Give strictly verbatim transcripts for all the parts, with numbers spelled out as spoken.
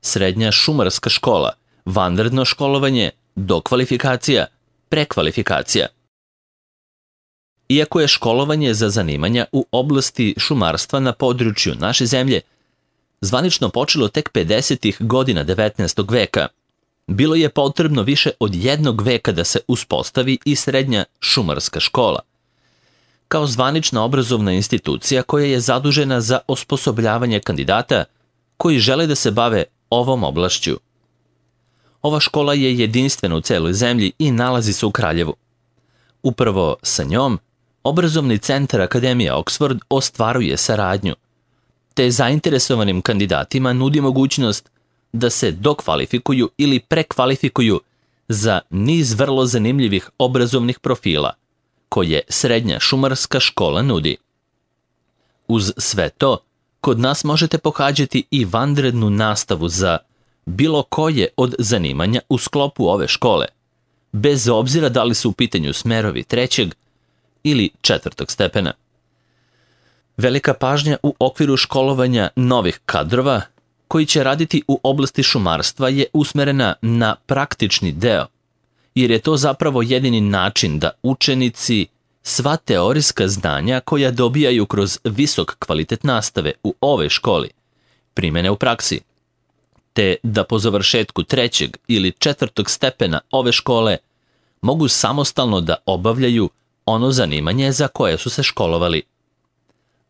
srednja šumarska škola, vanredno školovanje, dokvalifikacija, prekvalifikacija. Iako je školovanje za zanimanja u oblasti šumarstva na području naše zemlje zvanično počelo tek pedesetih godina devetnaestog veka, bilo je potrebno više od jednog veka da se uspostavi i srednja šumarska škola, kao zvanična obrazovna institucija koja je zadužena za osposobljavanje kandidata koji žele da se bave ovom oblašću. Ova škola je jedinstvena u celoj zemlji i nalazi se u Kraljevu. Upravo sa njom, obrazovni centar Akademija Oxford ostvaruje saradnju, te zainteresovanim kandidatima nudi mogućnost da se dokvalifikuju ili prekvalifikuju za niz vrlo zanimljivih obrazovnih profila koje srednja šumarska škola nudi. Uz sve to, kod nas možete pohađati i vanrednu nastavu za bilo koje od zanimanja u sklopu ove škole, bez obzira da li su u pitanju smerovi trećeg ili četvrtog stepena. Velika pažnja u okviru školovanja novih kadrova koji će raditi u oblasti šumarstva je usmerena na praktični deo, jer je to zapravo jedini način da učenici sva teorijska znanja koja dobijaju kroz visok kvalitet nastave u ovoj školi primene u praksi, te da po završetku trećeg ili četvrtog stepena ove škole mogu samostalno da obavljaju ono zanimanje za koje su se školovali.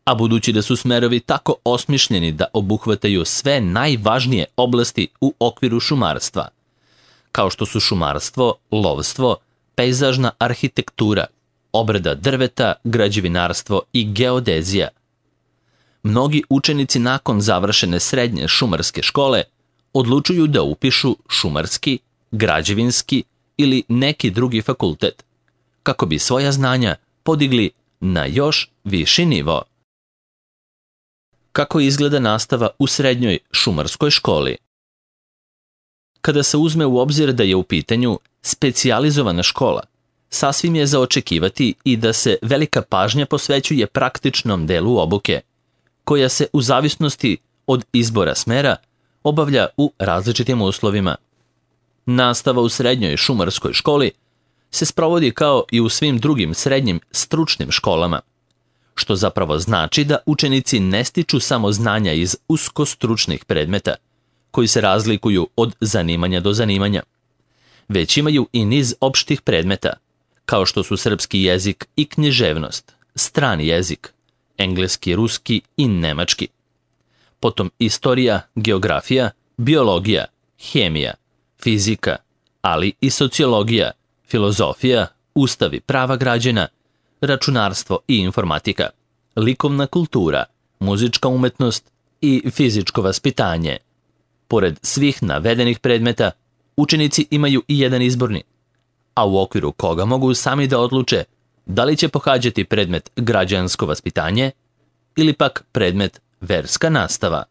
A budući da su smerovi tako osmišljeni da obuhvataju sve najvažnije oblasti u okviru šumarstva, kao što su šumarstvo, lovstvo, pejzažna arhitektura, obrada drveta, građevinarstvo i geodezija, mnogi učenici nakon završene srednje šumarske škole odlučuju da upišu šumarski, građevinski ili neki drugi fakultet, kako bi svoja znanja podigli na još viši nivo. Kako izgleda nastava u srednjoj šumarskoj školi? Kada se uzme u obzir da je u pitanju specijalizovana škola, sasvim je za očekivati i da se velika pažnja posvećuje praktičnom delu obuke, koja se u zavisnosti od izbora smera obavlja u različitim uslovima. Nastava u srednjoj šumarskoj školi se sprovodi kao i u svim drugim srednjim stručnim školama, što zapravo znači da učenici ne stiču samo znanja iz uskostručnih predmeta, koji se razlikuju od zanimanja do zanimanja, već imaju i niz opštih predmeta, kao što su srpski jezik i književnost, strani jezik, engleski, ruski i nemački, potom istorija, geografija, biologija, hemija, fizika, ali i sociologija, filozofija, ustav i prava građana, računarstvo i informatika, likovna kultura, muzička umetnost i fizičko vaspitanje. Pored svih navedenih predmeta, učenici imaju i jedan izborni, a u okviru koga mogu sami da odluče da li će pohađati predmet građansko vaspitanje ili pak predmet verska nastava.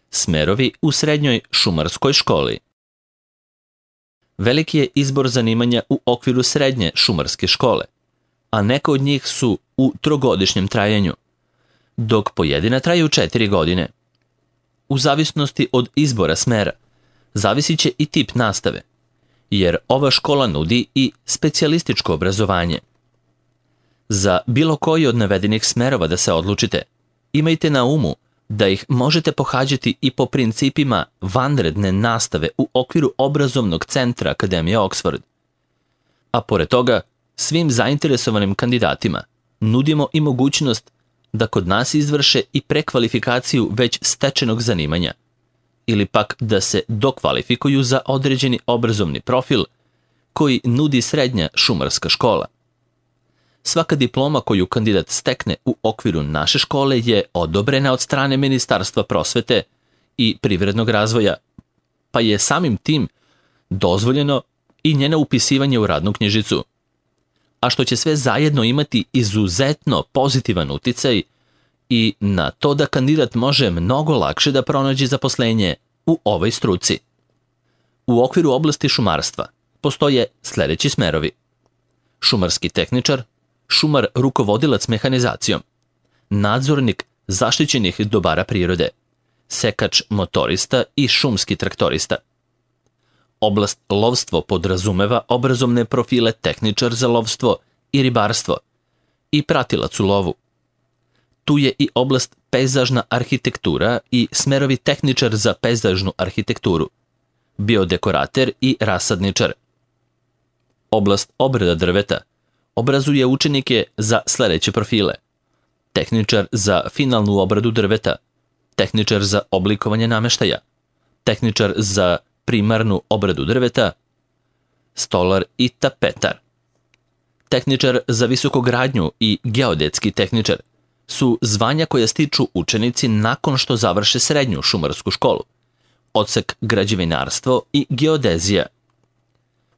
Smerovi u srednjoj šumarskoj školi. Veliki je izbor zanimanja u okviru srednje šumarske škole, a neka od njih su u trogodišnjem trajanju, dok pojedina traju četiri godine. U zavisnosti od izbora smera, zavisit će i tip nastave, jer ova škola nudi i specijalističko obrazovanje. Za bilo koji od navedenih smerova da se odlučite, imajte na umu da ih možete pohađati i po principima vanredne nastave u okviru obrazovnog centra Akademije Oxford. A pored toga, svim zainteresovanim kandidatima nudimo i mogućnost da kod nas izvrše i prekvalifikaciju već stečenog zanimanja, ili pak da se dokvalifikuju za određeni obrazovni profil koji nudi srednja šumarska škola. Svaka diploma koju kandidat stekne u okviru naše škole je odobrena od strane Ministarstva prosvete i privrednog razvoja, pa je samim tim dozvoljeno i njeno upisivanje u radnu knjižicu, a što će sve zajedno imati izuzetno pozitivan uticaj i na to da kandidat može mnogo lakše da pronađe zaposlenje u ovoj struci. U okviru oblasti šumarstva postoje sljedeći smerovi: šumarski tehničar, šumar rukovodilac mehanizacijom, nadzornik zaštićenih dobara prirode, sekač motorista i šumski traktorista. Oblast lovstvo podrazumeva obrazovne profile tehničar za lovstvo i ribarstvo i pratilac u lovu. Tu je i oblast pejzažna arhitektura i smerovi tehničar za pejzažnu arhitekturu, biodekorater i rasadničar. Oblast obrada drveta obrazuje učenike za sledeće profile: tehničar za finalnu obradu drveta, tehničar za oblikovanje nameštaja, tehničar za primarnu obradu drveta, stolar i tapetar. Tehničar za visokogradnju i geodetski tehničar su zvanja koja stiču učenici nakon što završe srednju šumarsku školu, odsek građevinarstvo i geodezija.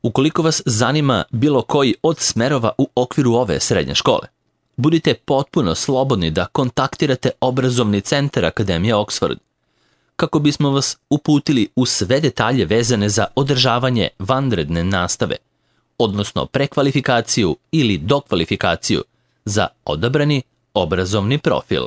Ukoliko vas zanima bilo koji od smerova u okviru ove srednje škole, budite potpuno slobodni da kontaktirate obrazovni centar Akademije Oxford, kako bismo vas uputili u sve detalje vezane za održavanje vanredne nastave, odnosno prekvalifikaciju ili dokvalifikaciju za odabrani obrazovni profil.